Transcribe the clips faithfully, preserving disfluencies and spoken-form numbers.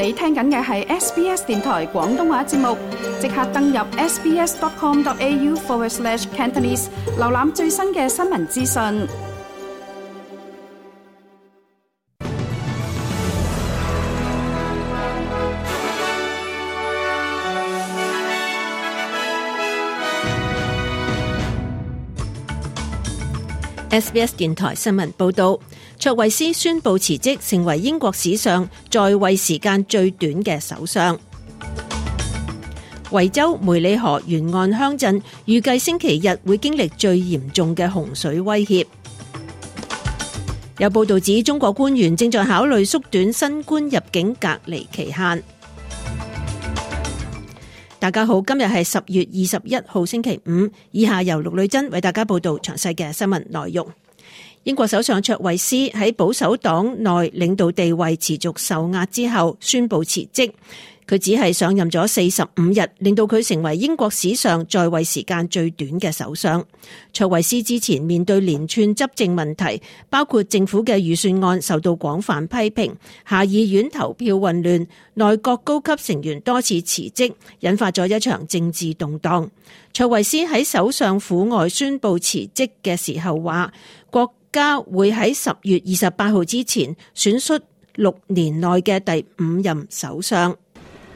你聽緊嘅係 S B S 電台廣東話節目，即刻登入 sbs.com.au forward slash Cantonese， 瀏覽最新嘅新聞資訊。S B S 電台新聞報道，卓慧思宣布辭職，成為英國史上在位時間最短嘅首相。維州梅里河沿岸鄉鎮預計星期日會經歷最嚴重嘅洪水威脅。有報道指，中國官員正在考慮縮短新冠入境隔離期限。大家好，今日係十月二十一號星期五，以下由陸女珍為大家報道詳細嘅新聞內容。英國首相卓慧思喺保守黨內領導地位持續受壓之後宣布辭職。佢只係上任咗四十五日，令到佢成為英國史上在位時間最短嘅首相。卓慧思之前面對連串執政問題，包括政府嘅預算案受到廣泛批評，下議院投票混亂，內閣高級成員多次辭職，引發咗一場政治動盪。卓慧思喺首相府外宣布辭職嘅時候話，國家會喺十月二十八號之前選出六年內嘅第五任首相。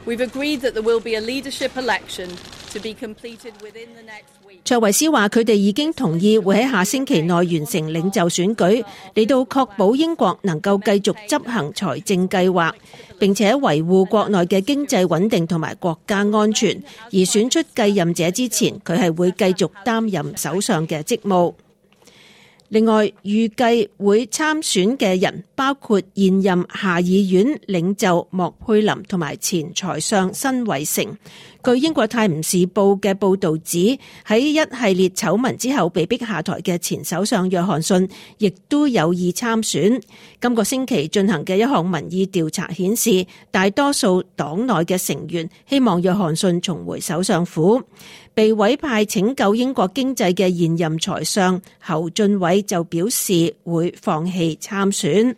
We've agreed that there will be a leadership election to be completed within the next week. 卓慧思話：佢哋已經同意會喺下星期內完成領袖選舉，嚟到確保英國能夠繼續執行財政計劃，並且維護國內嘅經濟穩定同埋國家安全。而選出繼任者之前，佢係會繼續擔任首相嘅職務。另外，預計會參選嘅人包括現任下議院領袖莫佩林同埋前財相辛偉誠。據英國泰晤士報嘅報導指，喺一系列醜聞之後被逼下台嘅前首相約翰遜亦都有意參選。今個星期進行嘅一項民意調查顯示，大多數黨內嘅成員希望約翰遜重回首相府。被委派拯救英國經濟嘅現任財相侯俊偉就表示會放棄參選。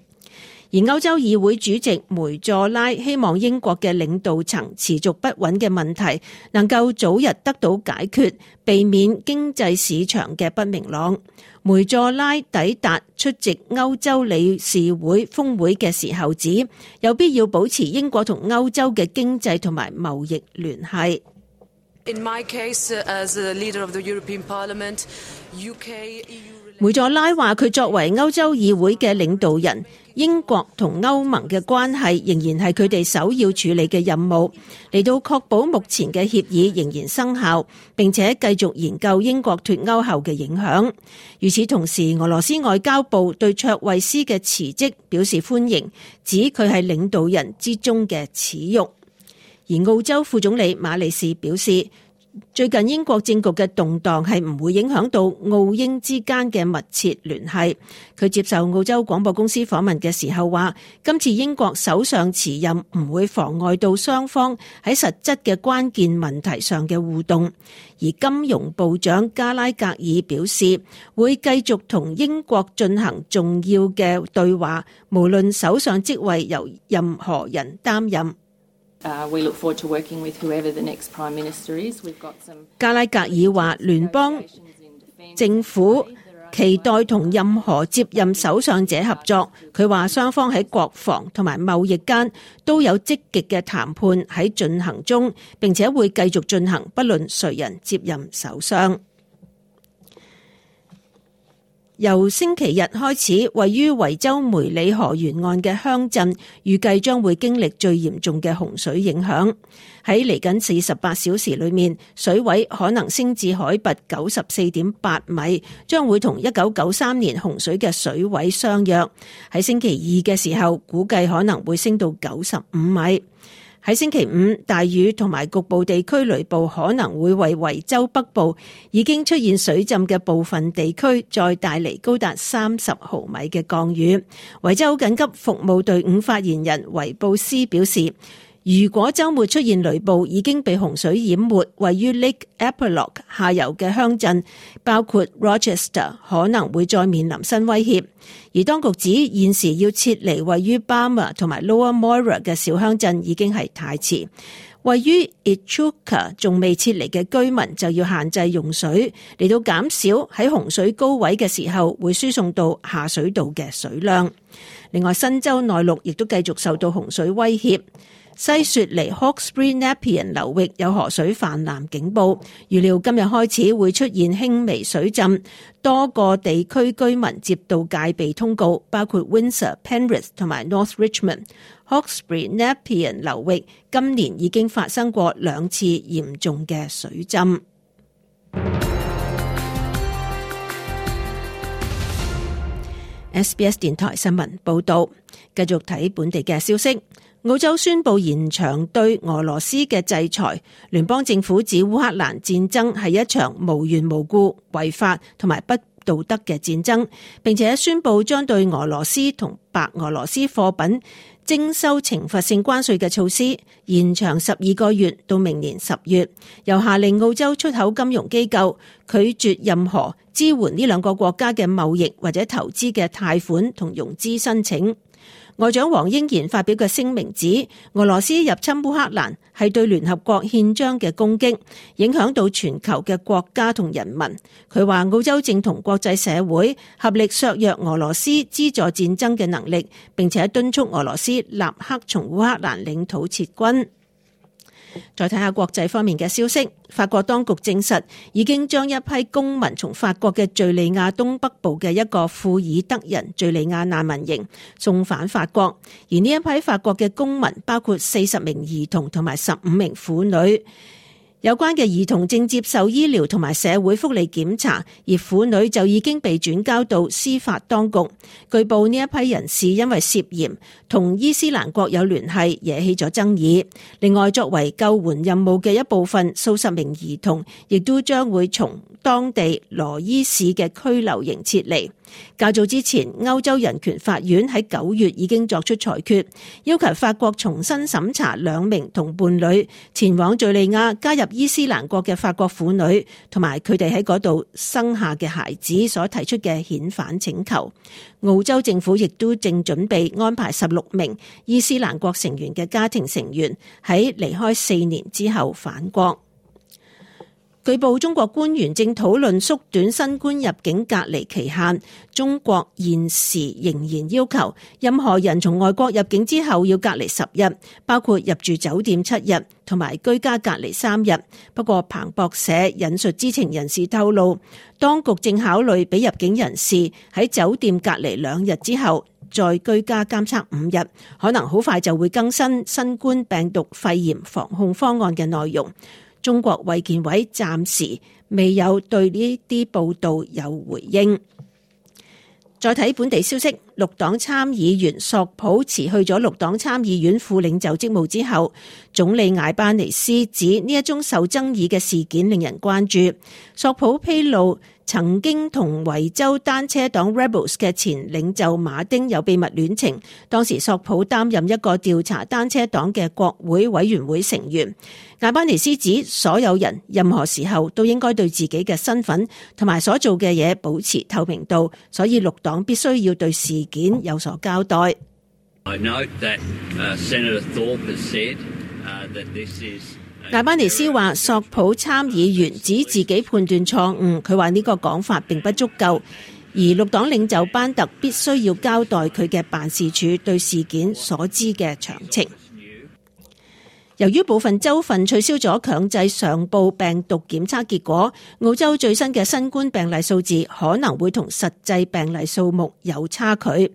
而歐洲議會主席梅佐拉希望英國嘅領導層持續不穩嘅問題能夠早日得到解決，避免經濟市場嘅不明朗。梅佐拉抵達出席歐洲理事會峰會嘅時候指，有必要保持英國同歐洲嘅經濟同埋貿易聯繫。In my case, as a leader of the European Parliament, U K, E U... 梅佐拉話：佢作為歐洲議會嘅領導人，英國同歐盟嘅關係仍然係佢哋首要處理嘅任務，嚟到確保目前嘅協議仍然生效，並且繼續研究英國脫歐後嘅影響。與此同時，俄羅斯外交部對卓慧思嘅辭職表示歡迎，指佢係領導人之中嘅恥辱。而澳洲副總理馬利士表示，最近英國政局嘅動盪係唔會影響到澳英之間嘅密切聯繫。佢接受澳洲廣播公司訪問嘅時候話，今次英國首相辭任唔會妨礙到雙方喺實質嘅關鍵問題上嘅互動。而金融部長加拉格爾表示，會繼續同英國進行重要嘅對話，無論首相職位由任何人擔任。Uh, we look forward to working with whoever the next Prime Minister is. We've got some... 加拉格爾話，聯邦政府期待同任何接任首相者合作。佢話雙方喺國防同埋貿易間都有積極嘅談判喺進行中，並且會繼續進行，不論誰人接任首相。由星期日開始，位於維州梅里河沿岸嘅鄉鎮預計將會經歷最嚴重嘅洪水影響。喺嚟緊四十八小時裏面，水位可能升至海拔九十四點八米，將會同一九九三年洪水嘅水位相若。喺星期二嘅時候，估計可能會升到九十五米。喺星期五，大雨同埋局部地區雷暴可能會為維州北部已經出現水浸嘅部分地區再帶嚟高達三十毫米嘅降雨。維州緊急服務隊伍發言人維布斯表示，如果週末出現雷暴，已經被洪水淹沒，位於 Lake Eppalock 下游嘅鄉鎮，包括 Rochester 可能會再面臨新威脅。而當局指現時要撤離位於 Barmer 同埋 Lower Moira 嘅小鄉鎮已經係太遲。位於 Echuca 仲未撤離嘅居民就要限制用水，嚟到減少喺洪水高位嘅時候會輸送到下水道嘅水量。另外，新州內陸亦都繼續受到洪水威脅。西雪梨 Hawkesbury Nepean 流域有河水泛濫警報，預料今日開始會出現輕微水浸，多個地區居民接到戒備通告，包括 Windsor、Penrith 同埋 North Richmond。Hawkesbury Nepean 流域今年已經發生過兩次嚴重嘅水浸。S B S 電台新聞報道，繼續睇本地嘅消息。澳洲宣布延長對俄羅斯嘅制裁，聯邦政府指烏克蘭戰爭係一場無緣無故、違法同埋不道德嘅戰爭，並且宣布將對俄羅斯同白俄羅斯貨品徵收懲罰性關稅嘅措施延長十二個月到明年十月，又下令澳洲出口金融機構拒絕任何支援呢兩個國家嘅貿易或者投資嘅貸款同融資申請。外長黃英賢發表嘅聲明指，俄羅斯入侵烏克蘭係對聯合國憲章嘅攻擊，影響到全球嘅國家同人民。佢話澳洲正同國際社會合力削弱俄羅斯資助戰爭嘅能力，並且敦促俄羅斯立刻從烏克蘭領土撤軍。再睇下國際方面嘅消息，法國當局證實已經將一批公民從法國嘅敘利亞東北部嘅一個庫爾德人敘利亞難民營送返法國，而呢一批法國嘅公民包括四十名兒童同埋十五名婦女。有關嘅兒童正接受醫療同埋社會福利檢查，而婦女就已經被轉交到司法當局。據報呢一批人士因為涉嫌同伊斯蘭國有聯繫，惹起咗爭議。另外，作為救援任務嘅一部分，數十名兒童亦都將會從當地羅伊市嘅拘留營撤離。較早之前，歐洲人權法院喺九月已經作出裁決，要求法國重新審查兩名同伴侶前往敘利亞加入伊斯蘭國嘅法國婦女同埋佢哋喺嗰度生下嘅孩子所提出嘅遣返請求。澳洲政府亦都正準備安排十六名伊斯蘭國成員嘅家庭成員喺離開四年之後返國。據報，中國官員正討論縮短新冠入境隔離期限。中國現時仍然要求任何人從外國入境之後要隔離十日，包括入住酒店七日同埋居家隔離三日。不過，彭博社引述知情人士透露，當局正考慮俾入境人士喺酒店隔離兩日之後再居家監測五日，可能好快就會更新新冠病毒肺炎防控方案嘅內容。中國衛健委暫時未有對呢啲報道有回應。再睇本地消息，綠黨參議員索普辭去咗綠黨參議院副領袖職務之後，總理艾班尼斯指呢一宗受爭議嘅事件令人關注。索普披露曾經同維州單車黨 Rebels 嘅前領袖馬丁有秘密戀情，當時索普擔任一個調查單車黨嘅國會委員會成員。艾班尼斯指所有人任何時候都應該對自己嘅身份同埋所做嘅嘢保持透明度，所以綠黨必須要對事件有所交代。I note that, uh, Senator Thorpe has said, uh, that this is艾班尼斯話索普參議員指自己判斷錯誤，佢話呢個講法並不足夠，而綠黨領袖班特必須要交代佢嘅辦事處對事件所知嘅詳情。由於部分州份取消咗強制上報病毒檢測結果，澳洲最新嘅新冠病例數字可能會同實際病例數目有差距。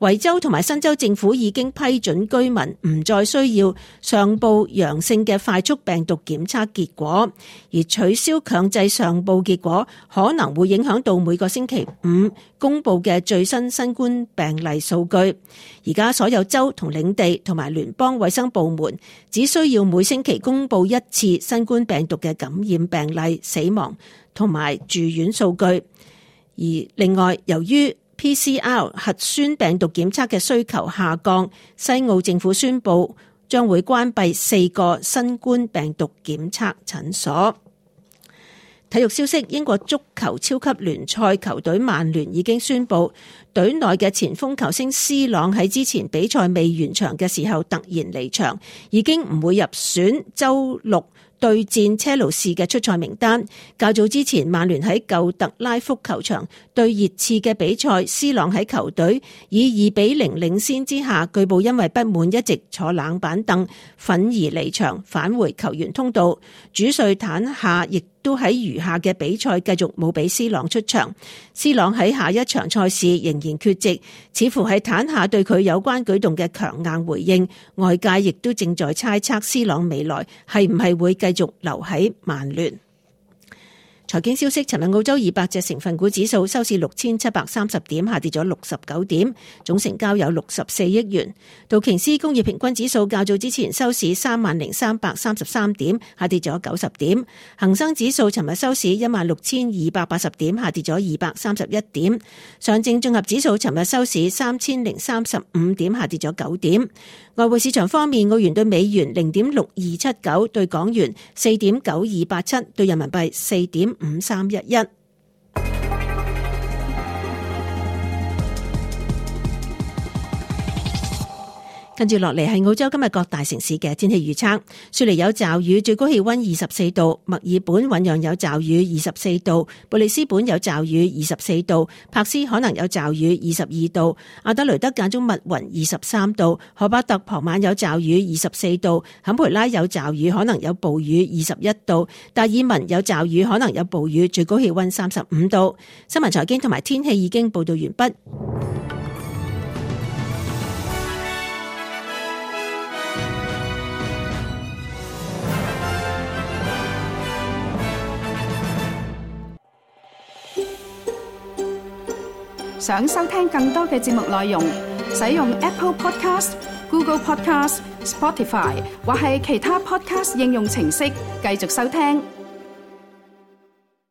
維州同埋新州政府已經批准居民唔再需要上報陽性嘅快速病毒檢測結果，而取消強制上報結果可能會影響到每個星期五公佈嘅最新新冠病例數據。而家所有州同領地同埋聯邦衛生部門只需要每星期公佈一次新冠病毒嘅感染病例、死亡同埋住院數據。而另外，由於P C R 核酸病毒檢測嘅需求下降，西澳政府宣布將會關閉四個新冠病毒檢測診所。體育消息，英國足球超級聯賽球隊曼聯已經宣布，隊內嘅前鋒球星 C 朗喺之前比賽未完場嘅時候突然離場，已經唔會入選週六對戰車路士嘅出賽名單。較早之前，曼聯喺舊特拉福球場對熱刺嘅比賽，C 朗喺球隊以二比零領先之下，據報因為不滿一直坐冷板凳，憤而離場，返回球員通道。主帥坦夏亦都喺餘下嘅比賽繼續冇俾 C 朗出場。C 朗喺下一場賽事仍然缺席，似乎係坦夏對佢有關舉動嘅強硬回應。外界亦都正在猜測 C 朗未來係唔係會繼續留喺曼聯。財經消息，尋日澳洲二百隻成分股指數收市六千七百三十點，下跌咗六十九點，總成交有六十四億元。道瓊斯工業平均指數較早之前收市三萬零三百三十三點，下跌咗九十點。恒生指數尋日收市一萬六千二百八十點，下跌咗二百三十一點。上證綜合指數尋日收市三千零三十五點，下跌咗九點。外匯市場方面，澳元對美元零點六二七九，對港元四點九二八七，對人民幣四點五三一一。跟住落嚟係澳洲今日各大城市嘅天氣預測。雪梨有驟雨，最高氣溫二十四度；墨爾本醞釀有驟雨，二十四度；布里斯本有驟雨，二十四度；柏斯可能有驟雨，二十二度；阿德雷德間中密雲，二十三度；荷巴特傍晚有驟雨，二十四度；坎培拉有驟雨，可能有暴雨，二十一度；達爾文有驟雨，可能有暴雨，最高氣溫三十五度。新聞財經同埋天氣已經報道完畢。想收聽更多嘅節目內容，使用 Apple Podcast、Google Podcast、Spotify 或係其他 Podcast 應用程式繼續收聽。